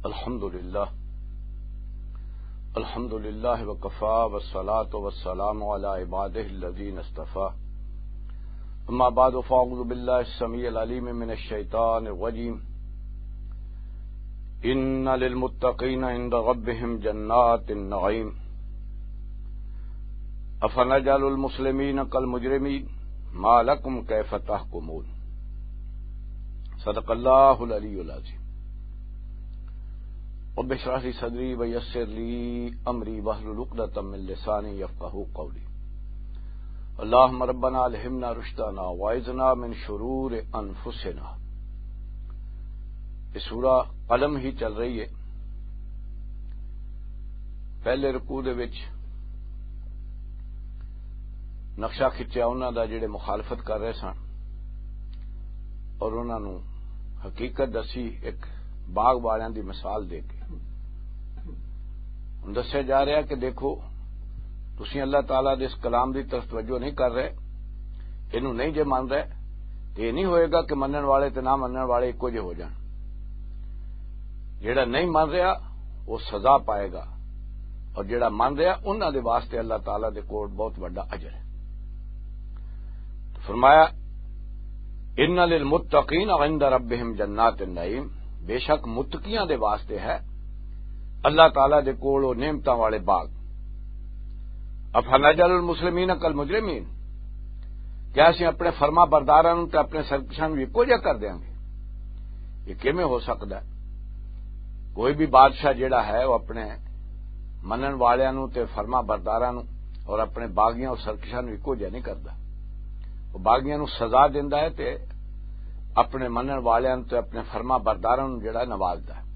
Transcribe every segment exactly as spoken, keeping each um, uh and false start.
الحمد لله. الحمد لله وكفى، والصلاة والسلام على عباده الذين اصطفى. أما بعد، فأعوذ بالله السميع العليم من الشيطان الرجيم. إن للمتقين عند ربهم جنات النعيم. أفنجعل المسلمين كالمجرمين؟ ما لكم كيف تحكمون؟ صدق الله العلي العظيم. رب اشرح لي صدري ويسر لي أمري واحلل عقدة من لساني يفقهوا قولي. اللهم ربنا ألهمنا رشدنا وأعذنا من شرور أنفسنا. یہ سورہ قلم ہی چل رہی ہے۔ پہلے رکوع دے وچ نقشہ کھچیا انہاں دا، جڑے مخالفت کر رہے سن، اور انہاں نوں حقیقت دسی، ایک باغ والیاں دی مثال دے کے۔ ہن دسیا جا رہا کہ دیکھو، تسی اللہ تعالیٰ دے اس کلام دی طرف توجہ نہیں کر رہے، اینوں نہیں جے من رہے، تے یہ نہیں ہوئے گا کہ منن والے تے نہ منن والے اکو جے ہو جان۔ جیڑا نہیں من رہا، وہ سزا پائے گا، اور جیڑا من رہا، انہاں دے واسطے اللہ تعالیٰ دے کول بہت وڈا اجر ہے۔ فرمایا، "ان للمتقین عند ربهم جنات النعیم"، بے شک متقیاں دے واسطے ہے اللہ تعالیٰ دے کول وہ نعمتاں والے باغ۔ "افنجعل المسلمین کالمجرمین"، کیا اسی اپنے فرما برداراں نوں تے اپنے سرکشاں نوں اکو جہا کر دیاں گے؟ یہ کیویں ہو سکدا ہے؟ کوئی بھی بادشاہ جیڑا ہے، وہ اپنے منن والیاں نوں تے فرما برداراں نوں اور اپنے باغیاں اور سرکشاں نوں اکو جہا نہیں کردا۔ وہ باغیاں نوں سزا دیندا ہے تے اپنے منن والیاں نوں تے اپنے فرما برداراں نوں جیڑا نوازدا ہے۔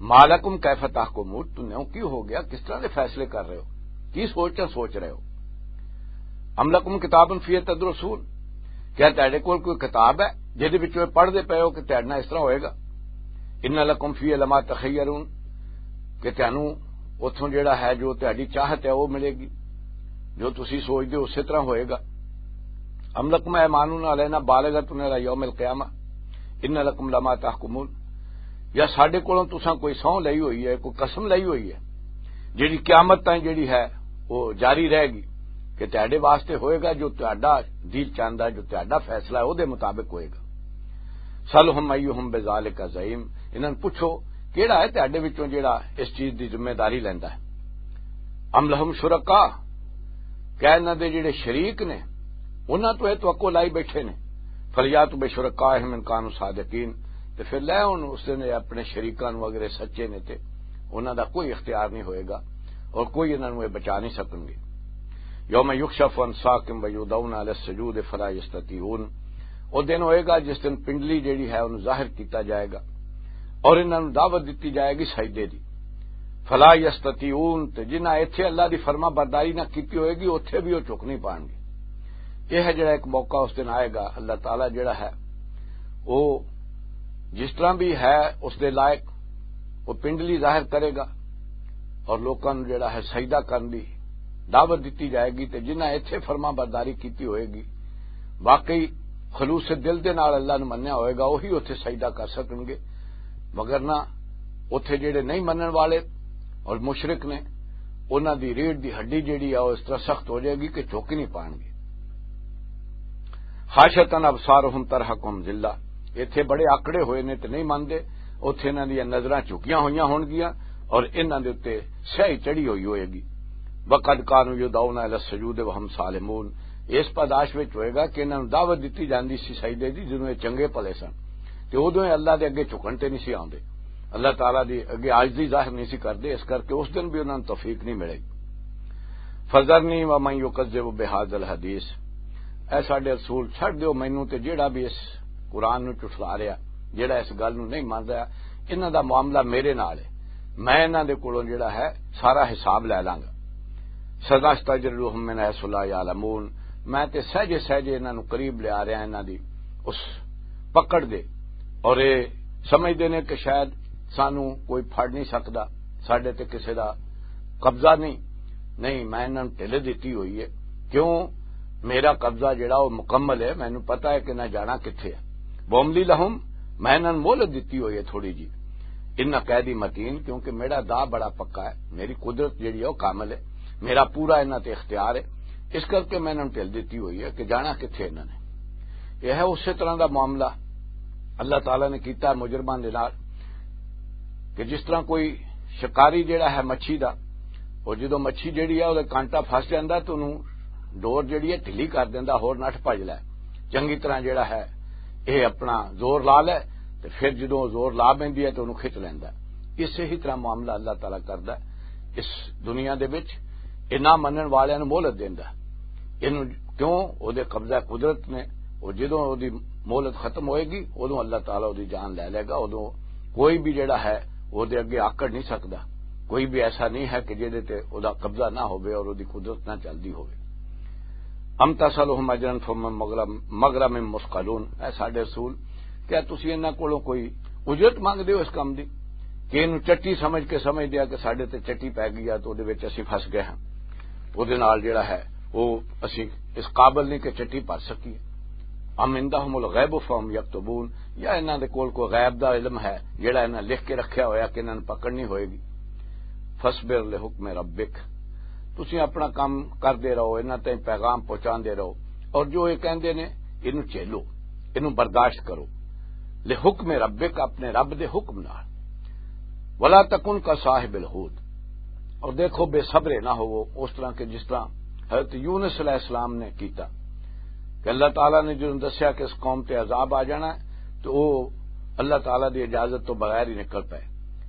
"ما لکم کیف تحکمون"، تم نے کیوں ہو گیا، کس طرح دے فیصلے کر رہے ہو، کی سوچاں سوچ رہے ہو؟ "ام لکم کتاب فیہ تدرسون"، کیا تہاڈے کول کوئی کتاب ہے جہدے وچ تسی پڑھدے پئے ہو کہ تہاڈے نال اس طرح ہوئے گا؟ "ان لکم فیہ لما تخیرون"، کہ تہانوں اتھوں جیڑا ہے، جو تہاڈی چاہت ہے، وہ ملے گی، جو تسی سوچدے ہو، اسی طرح ہوئے گا۔ "ام لکم ایمان علینا بالغۃ الی یوم القیامہ، ان لکم لما تحکمون"، یا ساڈے کولوں تساں کوئی سہوں لئی ہوئی ہے، کوئی قسم لئی ہوئی ہے، جیڑی قیامت تائیں جیڑی ہے، وہ جاری رہے گی، کہ تہاڈے واسطے ہوئے گا جو تہاڈا دل چاہندا ہے، جو تہاڈا فیصلہ ہے، وہ دے مطابق ہوئے گا۔ "سلہم ایہم بذالک زعیم"، انہاں نوں پوچھو، کیڑا ہے تہاڈے وچوں جیڑا اس چیز دی ذمہ داری لیندا ہے؟ "ام لہم شرکاء"، کیا انہاں دے جڑے شریک نے، انہاں تو یہ توقع لائی بیٹھے نے؟ "فلیاتوا بشرکائہم ان کانوا صادقین"، تے پھر لے آؤن اس دن اپنے شریکاں نوں، اگر یہ سچے نے تے انہاں دا کوئی اختیار نہیں ہوئے گا اور کوئی انہاں نوں یہ بچا نہیں سکن گے۔ "یوم یکشف عن ساق ویدعون الی السجود فلا یستطیعون"، وہ دن ہوئے گا جس دن پنڈلی جڑی ہے انہوں ظاہر کیتا جائے گا اور انہاں نوں دعوت دتی جائے گی سجدے دی۔ "فلا یستطیعون"، تے جنہاں ایتھے اللہ دی فرما برداری نہ کیتی ہوئے گی، اوتھے بھی وہ چک نہیں پان گے۔ یہ ہے جڑا ایک موقع اس دن آئے گا، اللہ تعالیٰ جڑا ہے وہ جس طرح بھی ہے اس دے لائق، وہ پنڈلی ظاہر کرے گا اور لوکاں نوں جڑا ہے سجدہ کرن دی دعوت دتی جائے گی۔ تے جنہاں ایتھے فرما برداری کیتی ہوئے گی، واقعی خلوص دل دے نال اللہ نوں منیا ہوئے گا، وہی اوتھے سجدہ کر سکن گے، مگر نہ اوتھے جڑے نہیں منن والے اور مشرک نے، انہاں دی ریڑھ دی ہڈی جڑی آ، وہ اس طرح سخت ہو جائے گی کہ جھک ہی نہیں پان گے۔ "خاشعۃ ابصارہم ترہقہم ذلہ"، ایتھے بڑے آکڑے ہوئے نے تے نہیں مندے، اوتھے انہاں دیاں نظراں جھکیاں ہوئیاں ہون گیاں اور انہاں دے اُتے سیاہی چڑھی ہوئی ہوئے گی۔ "وقد کانوا یدعون الی السجود وہم سالمون"، اس پاداش وچ ہوئے گا کہ انہاں نوں دعوت دتی جاندی سی سجدے دی، جدوں یہ چنگے بھلے سن، تے اودوں یہ اللہ دے اگے جھکن تے نہیں سی آندے، اللہ تعالیٰ دی اگے عاجزی ظاہر نہیں سی کردے، اس کر کے اس دن بھی انہاں نوں توفیق نہیں ملے گی۔ "فذرنی ومن یکذب بہذا الحدیث"، اے ساڈے رسول، چھڈ دیو مینوں تے جیڑا بھی اس قرآن نوں جھٹلا رہا، جیڑا اس گل نوں نہیں من رہا، انہاں دا معاملہ میرے نال ہے، میں انہاں دے کولوں جیڑا ہے سارا حساب لے لاں گا۔ "سنستدرجہم من حیث لا یعلمون"، میں تے سہجے سہجے انہاں نوں قریب لیا رہا، انہاں دی اس پکڑ دے، اور یہ سمجھدے نے کہ شاید سانوں کوئی پھڑ نہیں سکدا، ساڈے تے کسے دا قبضہ نہیں۔ نہیں، میں انہاں نوں ڈھل دتی ہوئی ہے۔ کیوں؟ میرا قبضہ جڑا وہ مکمل ہے، مینوں پتہ ہے کہ نہ جانا کتھے ہے۔ "واملی لہم"، میں انہاں نوں مہلت دتی ہوئی ہے تھوڑی جی۔ ان قیدی متین، کیونکہ میرا دا بڑا پکا ہے، میری قدرت جڑی ہے وہ کامل ہے، میرا پورا انہاں تے اختیار ہے، اس کر کے میں انہاں نوں ڈھل دتی ہوئی ہے کہ جانا کتھے انہاں نے۔ یہ ہے اسی طرح دا معاملہ اللہ تعالیٰ نے کیتا ہے مجرماں دے نال، کہ جس طرح کوئی شکاری جڑا ہے مچھی دا، اور جدوں مچھی جڑی ہے وہ کانٹا پھس جاندا تو انہوں ڈور جڑی ہے ڈھلی کر دیندا، ہور نٹھ بھج لے، چنگی طرح جڑا ہے یہ اپنا زور لا لے، تے پھر جدوں زور لا بیندی ہے تو انہوں کھچ لیندا۔ اسے ہی طرح معاملہ اللہ تعالیٰ کردا ہے اس دنیا دے وچ، یہ نہ منن والے نوں مہلت دیندا۔ اینوں کیوں؟ او دے قبضہ قدرت نے، او جدوں او دی مہلت ختم ہوئے گی، اودوں اللہ تعالیٰ او دی جان لے لے گا۔ اودوں کوئی بھی جڑا ہے، او دے اگے آکڑ نہیں سکدا۔ کوئی بھی ایسا نہیں ہے کہ جہدے تے او دا قبضہ نہ ہوئے اور او دی قدرت نہ چلدی ہوئے۔ ام تسألہم اجرا فہم من مغرم، مغرم مثقلون۔ اے ساڈے رسول، کیا تسی انہاں کولوں کوئی اجرت منگدے ہو اس کم دی؟ کہ اینوں چٹی سمجھ کے سمجھ دیا کہ ساڈے تے چٹی پے گئی ہے تو او دے وچ اسی پھس گئے ہاں، او دے نال جڑا ہے وہ اسی اس قابل نہیں کہ چٹی بھر سکیے۔ ام عندہم الغیب فہم یکتبون، یا انہاں دے کول کوئی غیب دا علم ہے جڑا انہاں لکھ کے رکھیا ہویا کہ انہاں نوں پکڑنی ہوئے گی۔ فاصبر لحکم ربک، تسی اپنا کام کردے رہو، انہاں تائیں پیغام پہنچاندے رہو، اور جو یہ کہندے نے، اینوں جھیلو، اینوں برداشت کرو۔ لحکم ربک، اپنے رب دے حکم نال۔ ولا تکن کا صاحب الحوت، اور دیکھو بے صبرے نہ ہوو اس طرح کہ جس طرح حضرت یونس علیہ السلام نے کیتا، کہ اللہ تعالیٰ نے جدوں دسیا کہ اس قوم تے عذاب آ جانا ہے تو وہ اللہ تعالیٰ دی اجازت تو بغیر ہی نکل پئے۔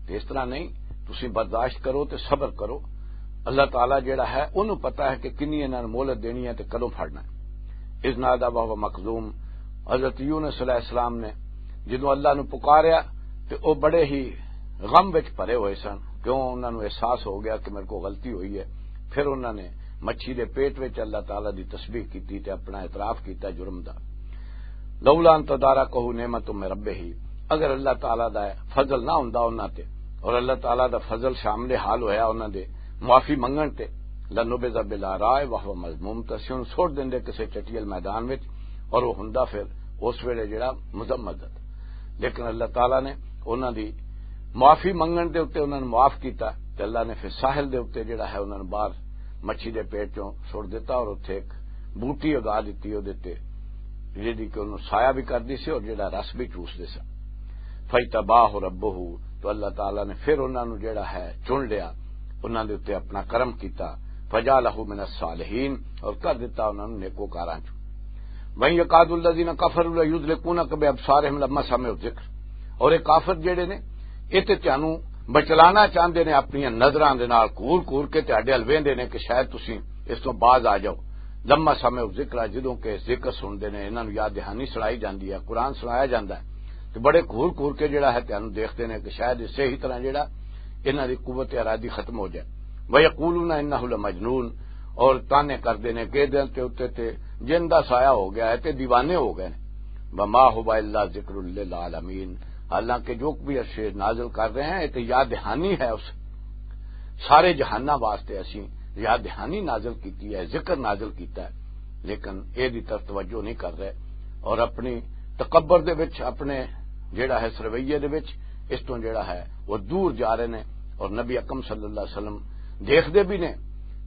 تے اس طرح نہیں، تسی برداشت کرو تے صبر کرو۔ اللہ تعالیٰ جڑا ہے انہوں پتا ہے کہ کنی انہاں نوں مہلت دینی ہے تے کدوں پھڑنا ہے۔ اذ نادی وہو مکظوم، حضرت یونس علیہ السلام نے جدوں اللہ نوں پکاریا تے او بڑے ہی غم وچ بھرے ہوئے سن، کیوں انہاں نوں احساس ہو گیا کہ میرے کو غلطی ہوئی ہے۔ پھر انہاں نے مچھی دے پیٹ وچ اللہ تعالیٰ دی تسبیح کیتی تے اپنا اعتراف کیتا جرم دا۔ لولا ان تدارکہ نعمت من ربہ، اگر اللہ تعالیٰ دا فضل نہ ہوندا انہاں تے، اور اللہ تعالیٰ دا فضل شامل حال ہویا انہاں دے معافی منگن تے، لنبذ بالعراء وہو مذموم، تو اسی انہوں سوٹ دیندے کسے چٹیل میدان وچ، اور وہ ہوندا پھر اس ویلے جڑا مذمت۔ لیکن اللہ تعالیٰ نے انہاں دی معافی منگن دے اُتے انہاں نوں معاف کیتا، تے اللہ نے پھر ساحل دے اُتے جڑا ہے انہاں نوں باہر مچھی دے پیٹ چوں سٹ دتا اور اتھے ایک بوٹی اگا دتی اودے تے، جیڑی کہ انہوں سایہ بھی کردی سی اور جڑا رس بھی چوسدے سن۔ فاجتباہ ربہ، تو اللہ تعالیٰ نے پھر انہاں نوں جڑا ہے چن لیا، انہاں دے اُتے اپنا کرم کیتا۔ فجعلہ من الصالحین، اور کر دتا انہاں نوں نیکوکاراں چوں۔ وَإِنْ يَكَادُ الَّذِينَ كَفَرُوا لَيُزْلِقُونَكَ بِأَبْصَارِهِمْ لَمَّا سَمِعُوا الذِّكْرَ، اور یہ کافر جڑے نے، یہ تے تانوں بچلانا چاہندے نے اپنی نظراں دے نال، گھور گھور کے تہاڈے ال ویندے نے کہ شاید تسی اس تو باز آ جاؤ۔ لما سمعوا الذکر، جدوں کہ ذکر سن دے نے، انہاں نوں یاد دہانی سنائی جاندی ہے، قرآن سنایا جاندا ہے، تے بڑے گھور گھور کے جڑا ہے تانوں دیکھدے نے کہ شاید اسے ہی طرح جڑا انہاں دی قوت ارادی ختم ہو جائے۔ وَيَقُولُونَ إِنَّهُ لَمَجْنُونَ، اور تانے کردے نے کہ دل تے اُتے تے جن دا سایہ ہو گیا ہے تے دیوانے ہو گئے نے۔ وما هو الا ذکر للعالمین، حالانکہ جو بھی اشے نازل کر رہے ہیں، یہ تے یاد دہانی ہے اس سارے جہاناں واسطے۔ اسی یاد دہانی نازل کیتی ہے، ذکر نازل کیتا ہے، لیکن اے دی طرف توجہ نہیں کر رہے اور اپنی تکبر دے وچ، اپنے جڑا ہے اس رویے دے وچ، اس تو جڑا ہے وہ دور جا رہے نے۔ اور نبی اکرم صلی اللہ علیہ وسلم دیکھدے بھی نے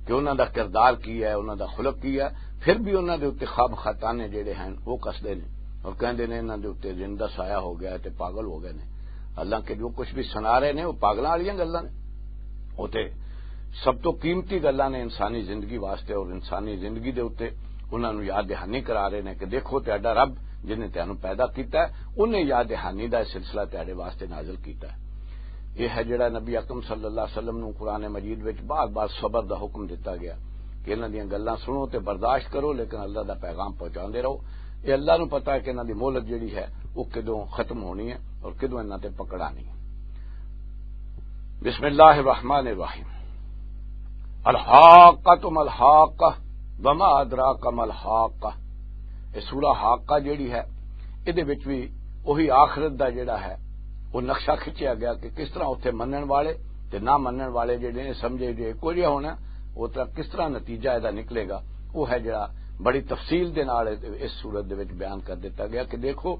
کہ انہاں دا کردار کی ہے، انہاں دا خلق کی ہے، پھر بھی انہاں دے اُتے خواب خطانے جڑے ہیں وہ کسدے نے اور کہندے نے انہاں دے اُتے جن دا سایہ ہو گیا ہے تے پاگل ہو گئے نے۔ حالانکہ جو کچھ بھی سنا رہے نے وہ پاگلاں والیاں گلاں نے۔ وہ تے سب تو قیمتی گلاں نے انسانی زندگی واسطے، اور انسانی زندگی دے اُتے انہاں نوں یاد دہانی کرا رہے نے کہ دیکھو تہاڈا رب جن نے تانوں پیدا کیتا ہے، انہیں یاد دہانی دا سلسلہ تہاڈے واسطے نازل کیتا ہے۔ یہ ہے جڑا نبی اکرم صلی اللہ علیہ وسلم نوں قرآن مجید وچ بار بار صبر دا حکم دتا گیا کہ انہاں دیاں گلاں سنو تے برداشت کرو، لیکن اللہ دا پیغام پہنچاندے رہو۔ یہ اللہ نوں پتہ ہے کہ انہاں دی مہلت جڑی ہے وہ کدوں ختم ہونی ہے اور کدوں انہاں تے پکڑانی ہے۔ بسم اللہ الرحمن الرحیم۔ الحاقۃ ما الحاقۃ، وما ادراک ما الحاقۃ۔ یہ سورہ حاقہ جڑی ہے، ادے وچ بھی وہی آخرت دا جڑا ہے وہ نقشہ کھچیا گیا کہ کس طرح اتھے منن والے تے نہ منن والے جڑے نے سمجھے جو ایکو جہا ہونا، وہ طرح کس طرح نتیجہ ادا نکلے گا۔ وہ ہے جڑا بڑی تفصیل دے نال اس صورت دے وچ بیان کر دیتا گیا کہ دیکھو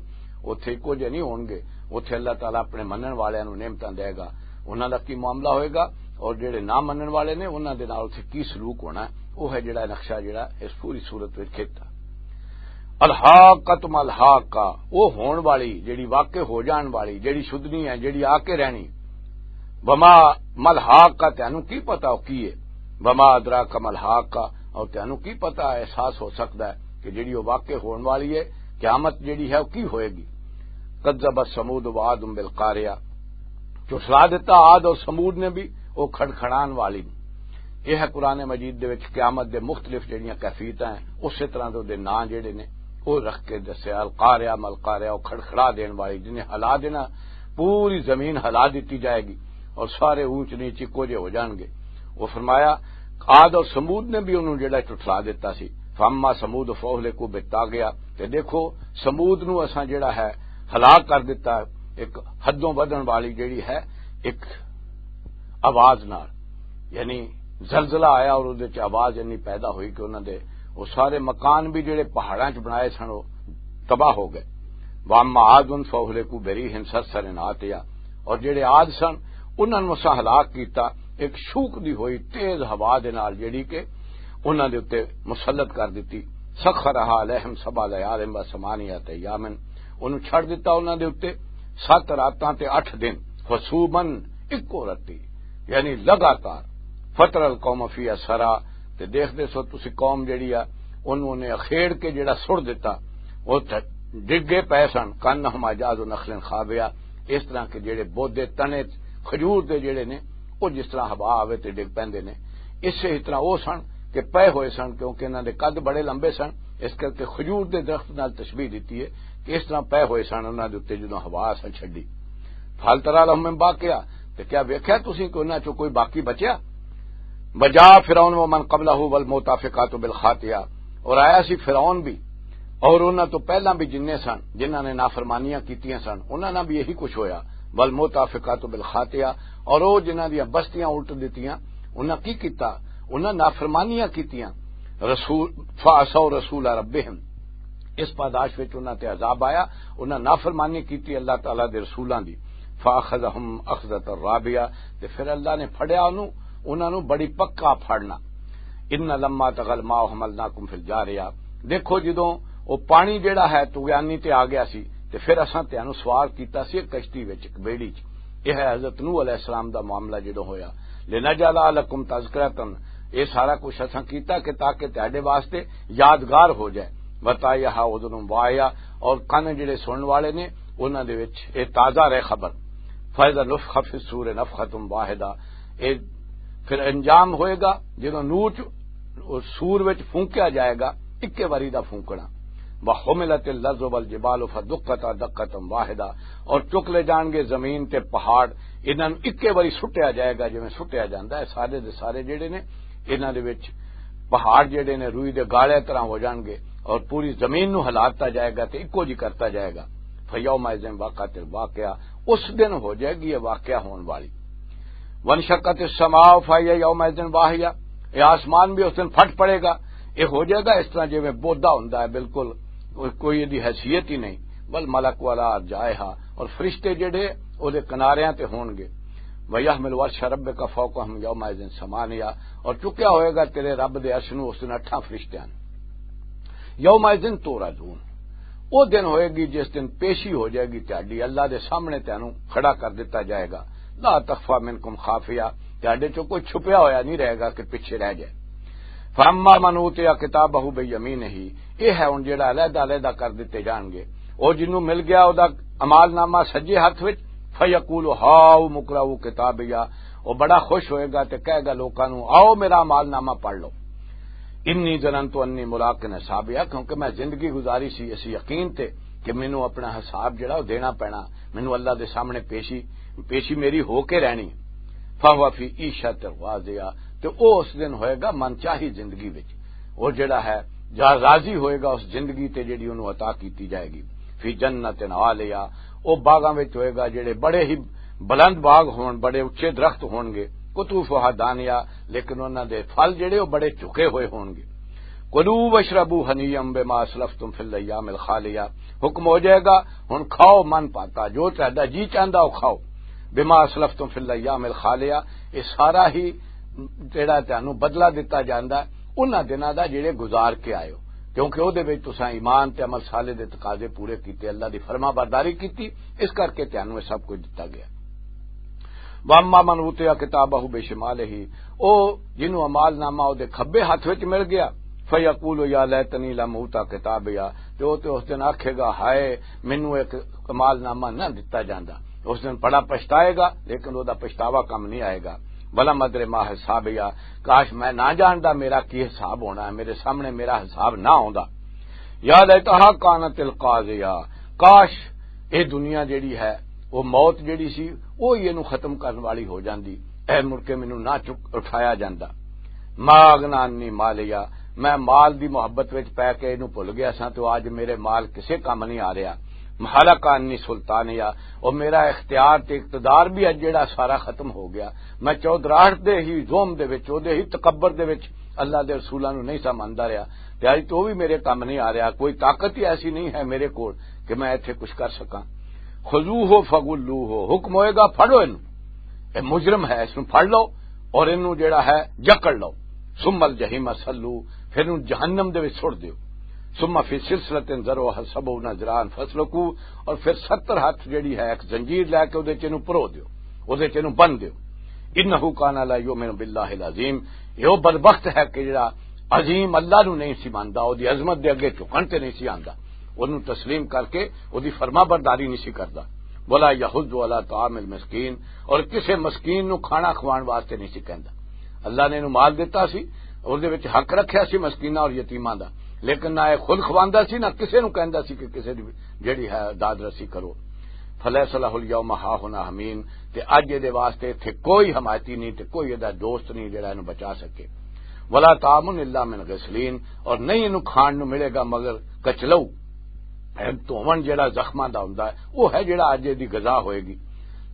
اتھے ایکو جہے نہیں ہون گے، اتھے اللہ تعالیٰ اپنے منن والے نو نعمتاں دے گا، انہاں دا کی معاملہ ہوئے گا، اور جڑے نہ منن والے نے انہاں دے نال اتھے کی سلوک ہونا ہے، وہ ہے جڑا نقشہ جڑا اس پوری صورت وچ کھیتا۔ الحاقۃ ما الحاقہ، وہ ہون والی، جڑی واقع ہو جان والی، جڑی شدنی ہے، جڑی آ کے رہنی۔ وما ما الحاقہ، تینوں کی پتا وہ کی ہے؟ وما ادراک ما الحاقہ، اور تینوں کی پتا احساس ہو سکتا ہے کہ جڑی وہ واقع ہون والی ہے، قیامت جڑی ہے وہ کی ہوئے گی؟ کذبت ثمود وعاد بالقارعہ، جھٹلا دیتا عاد اور ثمود نے بھی، وہ کھڑکھڑان والی۔ یہ ہے قرآن مجید دے وچ قیامت دے مختلف جڑیاں کیفیتاں ہیں، اسی طرح دے نام جڑے نے، وہ رکھ کے دسیا، القارعہ ملقارعہ، وہ کھڑکھڑا دین والی، جنہیں ہلا دینا، پوری زمین ہلا دیتی جائے گی اور سارے اونچ نیچ اکو جے ہو جان گے۔ وہ فرمایا، عاد اور ثمود نے بھی انہوں جڑا جھٹلا دیتا سی۔ فاما ثمود فاہلکوا بالطاغیہ، تے دیکھو، ثمود نو اساں جڑا ہے ہلاک کر دیتا، ایک حدوں ودھن والی جڑی ہے، ایک آواز نال، یعنی زلزلہ آیا اور اودے چ آواز انی پیدا ہوئی کہ انہاں دے وہ سارے مکان بھی جڑے پہاڑاں چ بنائے سن، وہ تباہ ہو گئے۔ واما عاد فاہلکوا بریح صرصر عاتیہ، اور جڑے عاد سن، انہاں نوں اساں ہلاک کیتا ایک شوک دی ہوئی تیز ہوا دے نال، جڑی کہ انہاں دے اُتے مسلط کر دتی۔ سخرھا علیہم سبع لیال و ثمانیۃ ایام، انہوں چھڑ دتا انہاں دے اُتے ست راتاں تے اٹھ دن، حسوماً، اکو رتی، یعنی لگاتار۔ فتر القوم فیہا صرعا، تے دیکھدے سو تسی قوم جڑی آ، انہوں نے اخیڑ کے جڑا سڑ دتا، وہ تھ-، ڈگے پے سن، کانہم اعجاز نخل خاویہ، اس طرح کے جڑے بودے تنے کھجور دے جڑے نے، وہ جس طرح ہوا آوے تے ڈگ پیندے نے، اسے ہی طرح وہ سن کہ پے ہوئے سن، کیونکہ انہاں دے قد بڑے لمبے سن، اس کر کے کھجور دے درخت نال تشبیہ دتی ہے کہ اس طرح پے ہوئے سن انہاں دے اُتے جدوں ہوا اساں چھڈی۔ فہل تری لہم من باقیہ، تے کیا ویکھیا تسی کہ انہاں چوں کوئی باقی بچیا؟ وجاء فرعون ومن قبلہ والمؤتفقات بالخاطیہ، اور آیا سی فرعون بھی، اور انہاں تو پہلاں بھی جننے سن، جنہاں نے نافرمانیاں کیتیاں سن، انہاں نال بھی یہی کچھ ہویا۔ والمؤتفقات بالخاطیہ، اور وہ جنہاں دیاں بستیاں الٹ دتیاں، انہاں کی کیتا؟ انہاں نافرمانیاں کیتیاں۔ رسول، فعصوا رسول ربہم، اس پاداش وچ انہاں تے عذاب آیا، انہاں نافرمانی کیتی اللہ تعالیٰ دے رسولاں دی۔ فاخذہم اخذۃ رابیہ، تے پھر اللہ نے پھڑیا انہوں، انہاں نوں بڑی پکا پھڑنا۔ ان لما طغى الماء حملناکم فی الجاریہ، دیکھو جدوں وہ پانی جڑا ہے طغیانی تے آ گیا سی، تے پھر اساں تینوں سوار کیتا سی ایک کشتی وچ، ایک بیڑی چ۔ یہ ہے حضرت نوح علیہ السلام دا معاملہ جدوں ہویا۔ لنجعلها لکم تذکرۃ، یہ سارا کچھ اساں کیتا کہ تاکہ تہاڈے واسطے یادگار ہو جائے۔ وتعیها اذن واعیہ، اور کن جڑے سنن والے نے، انہاں دے وچ یہ تازہ رہے خبر۔ فاذا نفخ فی الصور نفخۃ واحدہ، یہ پھر انجام ہوئے گا جدوں نور چ-، سور وچ پھونکیا جائے گا، اکے واری دا پھونکنا۔ وحملت الارض والجبال فدکتا دکۃ واحدہ، اور چک لے جان گے زمین تے پہاڑ، انہاں نوں اکے واری سٹیا جائے گا، جویں سٹیا جاندا ہے۔ سارے دے سارے جڑے نے، انہاں دے وچ پہاڑ جڑے نے، روئی دے گالے طرح ہو جان گے، اور پوری زمین نوں ہلا دتا جائے گا تے اکو جی کرتا جائے گا۔ فیومئذ وقعت الواقعہ، اس دن ہو جائے گی یہ واقعہ ہون والی۔ وانشقت السماء فہی یومئذ واہیہ، یہ آسمان بھی اس دن پھٹ پڑے گا، یہ ہو جائے گا اس طرح جویں بودا ہوندا ہے، بالکل کوئی، کوئی دی حیثیت ہی نہیں۔ والملک علی ارجائها، اور فرشتے جڑے او دے کناریاں تے ہون گے۔ ویحمل عرش ربک فوقہم یومئذ ثمانیہ، اور چکیا ہوئے گا تیرے رب دے عرش نو اس دن اٹھاں فرشتیاں نے۔ یومئذ تعرضون، او دن ہوئے گی جس دن پیشی ہو جائے گی تہاڈی، اللہ دے سامنے تینوں کھڑا کر دتا جائے گا۔ لا تخفی منکم خافیہ، تہاڈے چوں کوئی چھپیا ہویا نہیں رہے گا کہ پیچھے رہ جائے۔ فاما من اوتی کتابہ بیمینہ، یہ ہے ہن جڑا علیحدہ علیحدہ کر دتے جان گے۔ او جنوں مل گیا او دا اعمال نامہ سجے ہاتھ وچ، فیقول ہاؤم اقرؤوا کتابیہ، او بڑا خوش ہوئے گا تے کہے گا لوکاں نوں، آؤ میرا اعمال نامہ پڑھ لو۔ انی ظننت انی ملاق حسابیہ، کیونکہ میں زندگی گزاری سی اس یقین تے کہ مینوں اپنا حساب جڑا او دینا پینا، مینوں اللہ دے سامنے پیشی، پیشی میری ہو کے رہنی۔ فہو فی عیشۃ راضیہ، تے او اس دن ہوئے گا من چاہی زندگی وچ۔ او جڑا ہے، جا راضی ہوئے گا اس زندگی تے جڑی انہوں عطا کیتی جائے گی۔ فی جنت عالیہ، او باغاں وچ ہوئے گا جڑے بڑے ہی بلند باغ ہون، بڑے اچے درخت ہون گے۔ قطوفها دانیہ، لیکن انہاں دے پھل جڑے او بڑے جھکے ہوئے ہون گے۔ کلوا واشربوا ہنیئا بما اسلفتم فی الایام الخالیہ۔ حکم ہو جائے گا، ہن کھاؤ من پاتا، جو تہاڈا جی چاہندا او کھاؤ۔ بما اسلفتم فی الایام الخالیہ، یہ سارا ہی جڑا تانوں بدلہ دتا جاندا ہے انہاں دناں دا جڑے گزار کے آئے ہو، کیونکہ او دے وچ تساں ایمان تے عمل صالح دے تقاضے پورے کیتے، اللہ دی فرما برداری کیتی، اس کر کے تانوں یہ سب کچھ دتا گیا۔ واما من اوتیا کتابہ بشمالہ، او جنوں اعمال نامہ او دے کھبے ہاتھ وچ مل گیا، فیقول یا لیتنی لم اوتا کتابیا، تے او تے اس دن آکھے گا، ہائے مینوں ایک اعمال نامہ نہ دتا جاندا۔ اس دن بڑا پچھتائے گا، لیکن او دا پچھتاوا کم نہیں آئے گا۔ ولم ادر ما حسابیا، کاش میں نہ جاندا میرا کی حساب ہونا ہے، میرے سامنے میرا حساب نہ ہوندا۔ یا لیتہا کانت القاضیہ، کاش اے دنیا جیڑی ہے، وہ موت جیڑی سی، وہ ہی اینوں ختم کرن والی ہو جاندی، اے مڑ کے مینوں نہ چک اٹھایا جاندا۔ ما اغنی عنی مالیا، میں مال دی محبت وچ پے کے اینوں بھل گیا ساں، تو آج میرے مال کسے کم نہیں آ رہا۔ ہلک عنی سلطانیا، اور میرا اختیار تے اقتدار بھی اج جیڑا سارا ختم ہو گیا۔ میں چودراہٹ دے ہی زوم دے وچ، او دے ہی تکبر دے وچ اللہ دے رسولاں نوں نہیں سا مندا رہیا، تے اج تو بھی میرے کم نہیں آ رہا۔ کوئی طاقت ہی ایسی نہیں ہے میرے کول کہ میں ایتھے کچھ کر سکاں۔ خذوہ فغلوہ، حکم ہوئے گا، پھڑو اینوں، اے مجرم ہے، اس نوں پھڑ لو اور اینوں جڑا ہے جکڑ لو۔ ثم الجحیم صلو، پھر اینوں جہنم دے وچ چھوڑ دیو۔ ثم فی سلسلۃ ذرعها سبعون ذراعا فسلکو، اور پھر ستر ہاتھ جڑی ہے ایک زنجیر لے کے اودے چ اینوں پرو دیو، اودے چ اینوں بند دیو۔ انہ کان لا یؤمن باللہ العظیم، یہ وہ بدبخت ہے کہ جڑا عظیم اللہ نو نہیں سی ماندا، اودی عظمت دے اگے جھکن تے نہیں سی آندا، اونوں تسلیم کر کے اودی فرما برداری نہیں سی کردا۔ ولا یحض علی طعام المسکین، اور کسے مسکین نو کھانا کھوان واسطے نہیں سی کہندا۔ اللہ نے اینوں مال دتا سی، اس دے وچ حق رکھیا سی مسکیناں اور یتیماں دا، لیکن نہ اے خود کھواندا سی، نہ کسے نوں کہندا سی کہ کسے دی جڑی ہے داد رسی کرو۔ فلیس لہ الیوم ہاہنا حمیم، تے اج اے دے واسطے ایتھے کوئی حمایتی نہیں تے کوئی اے دا دوست نہیں جڑا اینوں بچا سکے۔ ولا طعام الا من غسلین، اور نہیں اینوں کھان نوں ملے گا مگر کچلو۔ اے دھوون جڑا زخماں دا ہوندا ہے، او ہے جڑا اج دی غذا ہوئے گی۔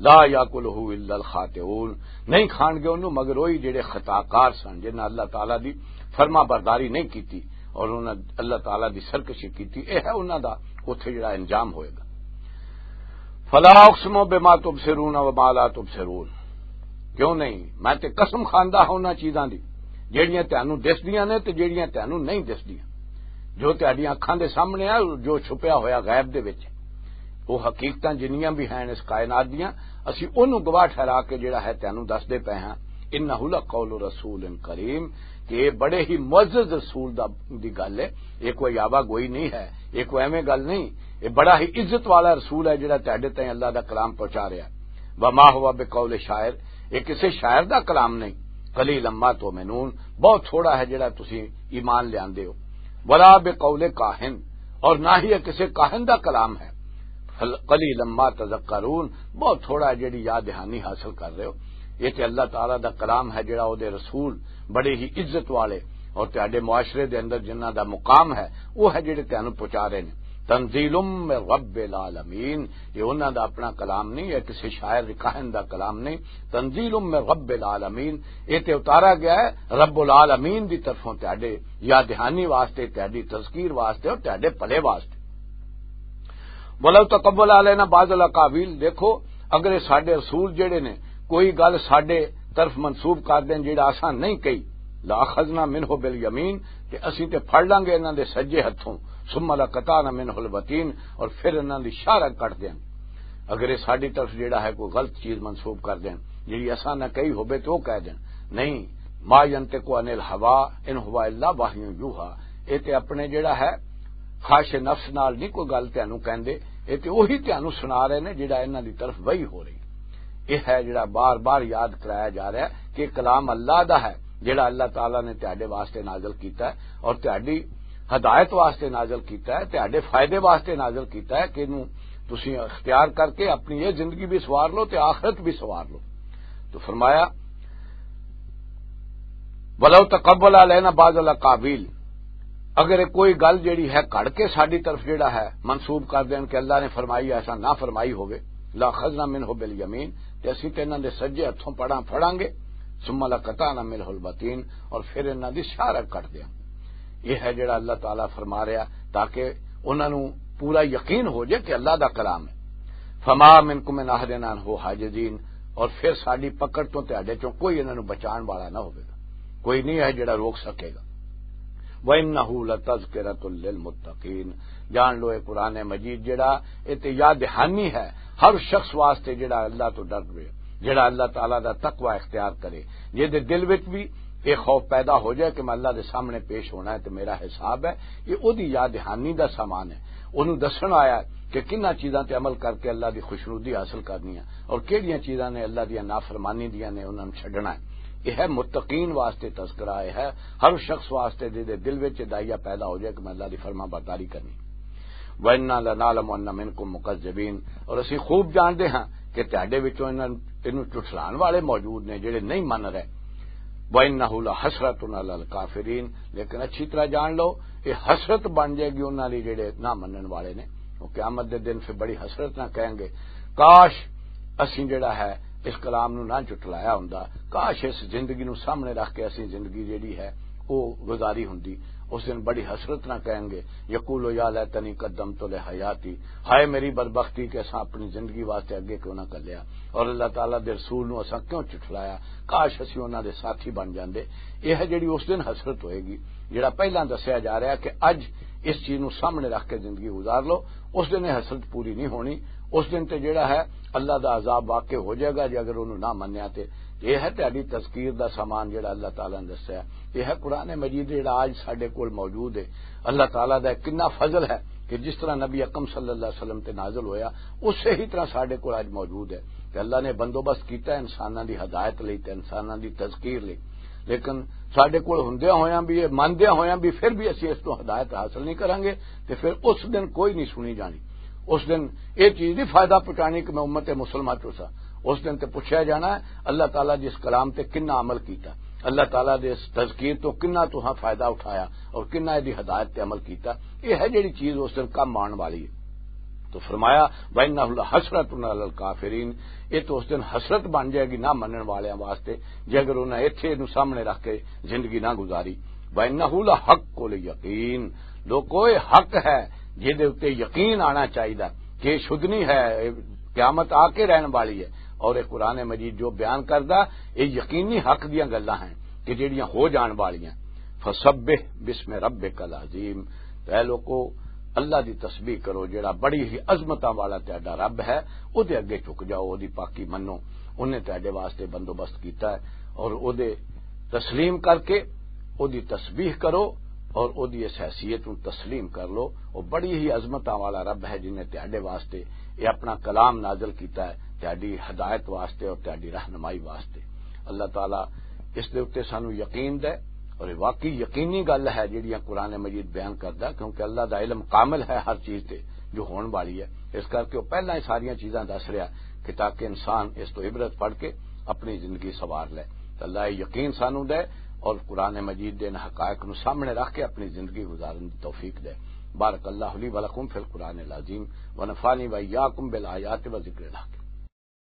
لا یاکلہ الا الخاطئون، نہیں کھان گے اونوں مگر وہی جڑے خطاکار سن، جنہاں اللہ تعالیٰ دی فرما برداری نہیں کیتی اور انہاں اللہ تعالیٰ دی سرکشی کیتی۔ اے ہے انہاں دا اوتھے جڑا انجام ہوئے گا۔ فلا اقسم بما تبصرون وما لا تبصرون، کیوں نہیں، میں تے قسم کھاندا ہاں انہاں چیزاں دی جڑیاں تانوں دسدیاں نے تے جڑیاں تانوں نہیں دسدیاں۔ جو تہاڈیاں اکھاں دے سامنے ہے، جو چھپیا ہویا غیب دے وچ ہے، وہ حقیقتاں جنیاں بھی ہیں اس کائنات دیاں، اسی اونوں گواہ ٹھہرا کے جڑا ہے تینوں دس دے پے ہاں۔ انہ لقول رسول کریم، کہ یہ بڑے ہی معزز رسول دا، دی گل ہے۔ یہ کوئی آوا گوئی نہیں ہے، یہ کوئی ایویں گل نہیں، یہ بڑا ہی عزت والا رسول ہے جڑا تہاڈے تائیں اللہ دا کلام پہنچا رہا ہے۔ وما ہوا بقول شاعر، یہ کسے شاعر دا کلام نہیں۔ قلیلا ما تؤمنون، بہت تھوڑا ہے جڑا تسی ایمان لیاندے ہو۔ ولا بقول کاہن، اور نہ ہی یہ کسے کاہن دا کلام ہے۔ فل-، قلیلا ما تذکرون، بہت تھوڑا ہے جڑی یاد دہانی حاصل کر رہے ہو۔ یہ تے اللہ تعالیٰ دا کلام ہے جڑا او دے رسول بڑے ہی عزت والے اور تہاڈے معاشرے دے اندر جنہاں دا مقام ہے، وہ ہے جڑے تینوں پہنچا رہے نے۔ تنزیل من رب العالمین، یہ انہاں دا اپنا کلام نہیں، یہ کسی شاعر کاہن دا کلام نہیں۔ تنزیل من رب العالمین، یہ تے اتارا گیا ہے رب العالمین دی طرفوں تہاڈے یاد دہانی واسطے، تہاڈی تذکیر واسطے اور تہاڈے بھلے واسطے۔ ولو تقبل علینا بعض الاقاویل، دیکھو اگر یہ ساڈے رسول جڑے نے کوئی گل ساڈے طرف منسوب کر دین جڑا اساں نہیں کہی، لاخذنا منہ بالیمین، تے اسیں تے پھڑ لانگے انہاں دے سجے ہتھوں، ثم لقطعنا منہ الوتین، اور پھر انہاں دی شاہ رگ کٹ دین۔ اگر یہ ساڈی طرف جڑا ہے کوئی غلط چیز منسوب کر دین جڑی اساں نہ کہی ہوبے تے وہ کہہ دین، نہیں، ما ینطق عن الہوا ان ہوا الا وحی یوحی، یہ تے اپنے جڑا ہے خواہش نفس نال نہیں کوئی گل تینوں کہندے، یہ تے وہی تینوں سنا رہے نے جڑا انہاں دی طرف وحی ہو رہی۔ یہ ہے جڑا بار بار یاد کرایا جا رہا ہے کہ کلام اللہ دا ہے، جڑا اللہ تعالیٰ نے تہاڈے واسطے نازل کیتا ہے اور تہاڈی ہدایت واسطے نازل کیتا ہے، تہاڈے فائدے واسطے نازل کیتا ہے کہ اینوں تسی اختیار کر کے اپنی یہ زندگی بھی سوار لو تے آخرت بھی سوار لو۔ تو فرمایا، ولو تقبل علینا بعض الاقاویل، اگر یہ کوئی گل جڑی ہے کڑ کے ساڈی طرف جڑا ہے منسوب کر دین کہ اللہ نے فرمائی ایسا نہ فرمائی ہوے، لاخذنا منہ بالیمین، تے اسی تے انہاں دے سجے ہتھوں پڑاں پھڑاں گے، ثم لقطعنا منہ الوتین، اور پھر انہاں دی شاہ رگ کٹ دیاں۔ یہ ہے جڑا اللہ تعالیٰ فرما رہا، تاکہ انہاں نوں پورا یقین ہو جائے کہ اللہ دا کلام ہے۔ فما منکم من احد عنہ حاجزین، اور پھر ساڈی پکڑ تو تہاڈے چوں کوئی انہاں نوں بچان والا نہ ہوے گا، کوئی نہیں ہے جڑا روک سکے گا۔ وَإِنَّهُ لَتَذْكِرَةٌ لِلْمُتَّقِينَ۔ جان لو، اے قرآن مجید جڑا، اے تے یاد دہانی ہے ہر شخص واسطے جڑا اللہ تو ڈر گئے، جڑا اللہ تعالیٰ دا تقوی اختیار کرے، جے دے دل وچ بھی اے خوف پیدا ہو جائے کہ میں اللہ دے سامنے پیش ہونا ہے تے میرا حساب ہے۔ یہ اودی یاد دہانی دا سامان ہے، اونوں دسن آیا ہے کہ کناں چیزاں تے عمل کر کے اللہ دی خوشنودی حاصل کرنی ہے اور کیڑیاں چیزاں نے اللہ دیاں نافرمانی دیاں نے، انہاں نوں چھڈنا ہے۔ یہ ہے متقین واسطے تذکرہ، یہ ہے ہر شخص واسطے جے دے دل وچ دائیا پیدا ہو جائے کہ میں اللہ دی فرما برداری کرنی۔ وَإِنَّا لَنَعْلَمُ أَنَّ مِنْكُمْ مُكَذِّبِينَ، اور اسی خوب جانتے ہاں کہ تہاڈے وچوں انہاں، انہوں جھٹلان والے موجود نے جڑے نہیں من رہے۔ وَإِنَّهُ لَحَسْرَةٌ عَلَى الْكَافِرِينَ، لیکن اچھی طرح جان لو، یہ حسرت بن جائے گی انہاں لئی جڑے نہ منن والے نے۔ وہ قیامت دے دن پھر بڑی حسرت نہ کہیں گے، کاش اسی جڑا ہے اس کلام نو نہ جھٹلایا ہوندا، کاش اس زندگی نو سامنے رکھ کے اسی زندگی جڑی ہے وہ گزاری ہوندی۔ اس دن بڑی حسرت نہ کہیں گے، یقول یا لیتنی قدمت لحیاتی، ہائے میری بدبختی کہ اساں اپنی زندگی واسطے اگے کیوں نہ کلیا، اور اللہ تعالیٰ دے رسول نو اساں کیوں جھٹلایا، کاش اسی انہاں دے ساتھی بن جاندے۔ یہ ہے جڑی اس دن حسرت ہوئے گی۔ جڑا پہلاں دسیا جا رہا کہ اج اس چیز نو سامنے رکھ کے زندگی گزار لو، اس دن یہ حسرت پوری نہیں ہونی۔ اس دن تے جڑا ہے اللہ دا عذاب واقع ہو جائے گا جے اگر انہوں نہ منیا تے۔ یہ ہے تہاڈی تذکیر دا سامان جڑا اللہ تعالیٰ نے دسیا۔ یہ ہے قرآن مجید جڑا اج ساڈے کول موجود ہے۔ اللہ تعالیٰ دا کنا فضل ہے کہ جس طرح نبی اکرم صلی اللہ علیہ وسلم تے نازل ہویا، اسے ہی طرح ساڈے کول اج موجود ہے۔ تے اللہ نے بندوبست کیتا ہے انساناں دی ہدایت لئی تے انساناں دی تذکیر لئی۔ لیکن ساڈے کول ہوندیاں ہویاں بھی، یہ مندیاں ہویاں بھی، پھر بھی اسی اس تو ہدایت حاصل نہیں کرانگے، تے پھر اس دن کوئی نہیں سنی جانی۔ اس دن یہ چیز نہیں فائدہ پہنچانی کہ میں امت مسلمہ چوں سا۔ اس دن تے پوچھا جانا ہے، اللہ تعالیٰ جس کلام تے کنا عمل کیتا، اللہ تعالیٰ دے اس تذکیر تو کنا تساں فائدہ اٹھایا اور کنا دی ہدایت تے عمل کیتا۔ یہ ہے جڑی چیز اس دن کم آن والی ہے۔ تو فرمایا، وَإِنَّهُ لَحَسْرَةٌ عَلَى الْكَافِرِينَ، یہ تو اس دن حسرت بن جائے گی نہ منن والیاں واسطے، جے اگر انہاں ایتھے نو سامنے رکھ کے زندگی نہ گزاری۔ وَإِنَّهُ لَحَقُّ الْيَقِينِ، لوکو، یہ حق ہے جے دے اُتے یقین آنا چاہیدا کہ یہ شدنی ہے، یہ قیامت آ کے رہن والی ہے۔ اور یہ قرآن مجید جو بیان کردا، یہ یقینی حق دیاں گلاں ہیں کہ جڑیاں ہو جان والیاں۔ فسبح باسم ربک العظیم، تو اے لوکو، اللہ دی تسبیح کرو جڑا بڑی ہی عظمتاں والا تہاڈا رب ہے۔ او دے اگے جھک جاؤ، او دی پاکی منو، انہیں تہاڈے واسطے بندوبست کیتا ہے، اور او دے تسلیم کر کے او دی تسبیح کرو، اور او دی اس حیثیت نوں تسلیم کر لو۔ او بڑی ہی عظمتاں والا رب ہے جنہیں تہاڈے واسطے یہ اپنا کلام نازل کیتا ہے، تہاڈی ہدایت واسطے اور تہاڈی رہنمائی واسطے۔ اللہ تعالیٰ اس دے اُتے سانو یقین دے، اور یہ واقعی یقینی گل ہے جڑیاں قرآن مجید بیان کردا، کیونکہ اللہ دا علم کامل ہے ہر چیز تے جو ہون والی ہے۔ اس کر کے وہ پہلاں ہی ساریاں چیزاں دس رہا کہ تاکہ انسان اس تو عبرت پڑھ کے اپنی زندگی سوار لے۔ تو اللہ یہ یقین سانو دے اور قرآن مجید دے ان حقائق نو سامنے رکھ کے اپنی زندگی گزارن دی توفیق دے۔ بارک اللہ لی ولکم فی القرآن العظیم، ونفعنی وإیاکم بالآیات و ذکر الحکیم۔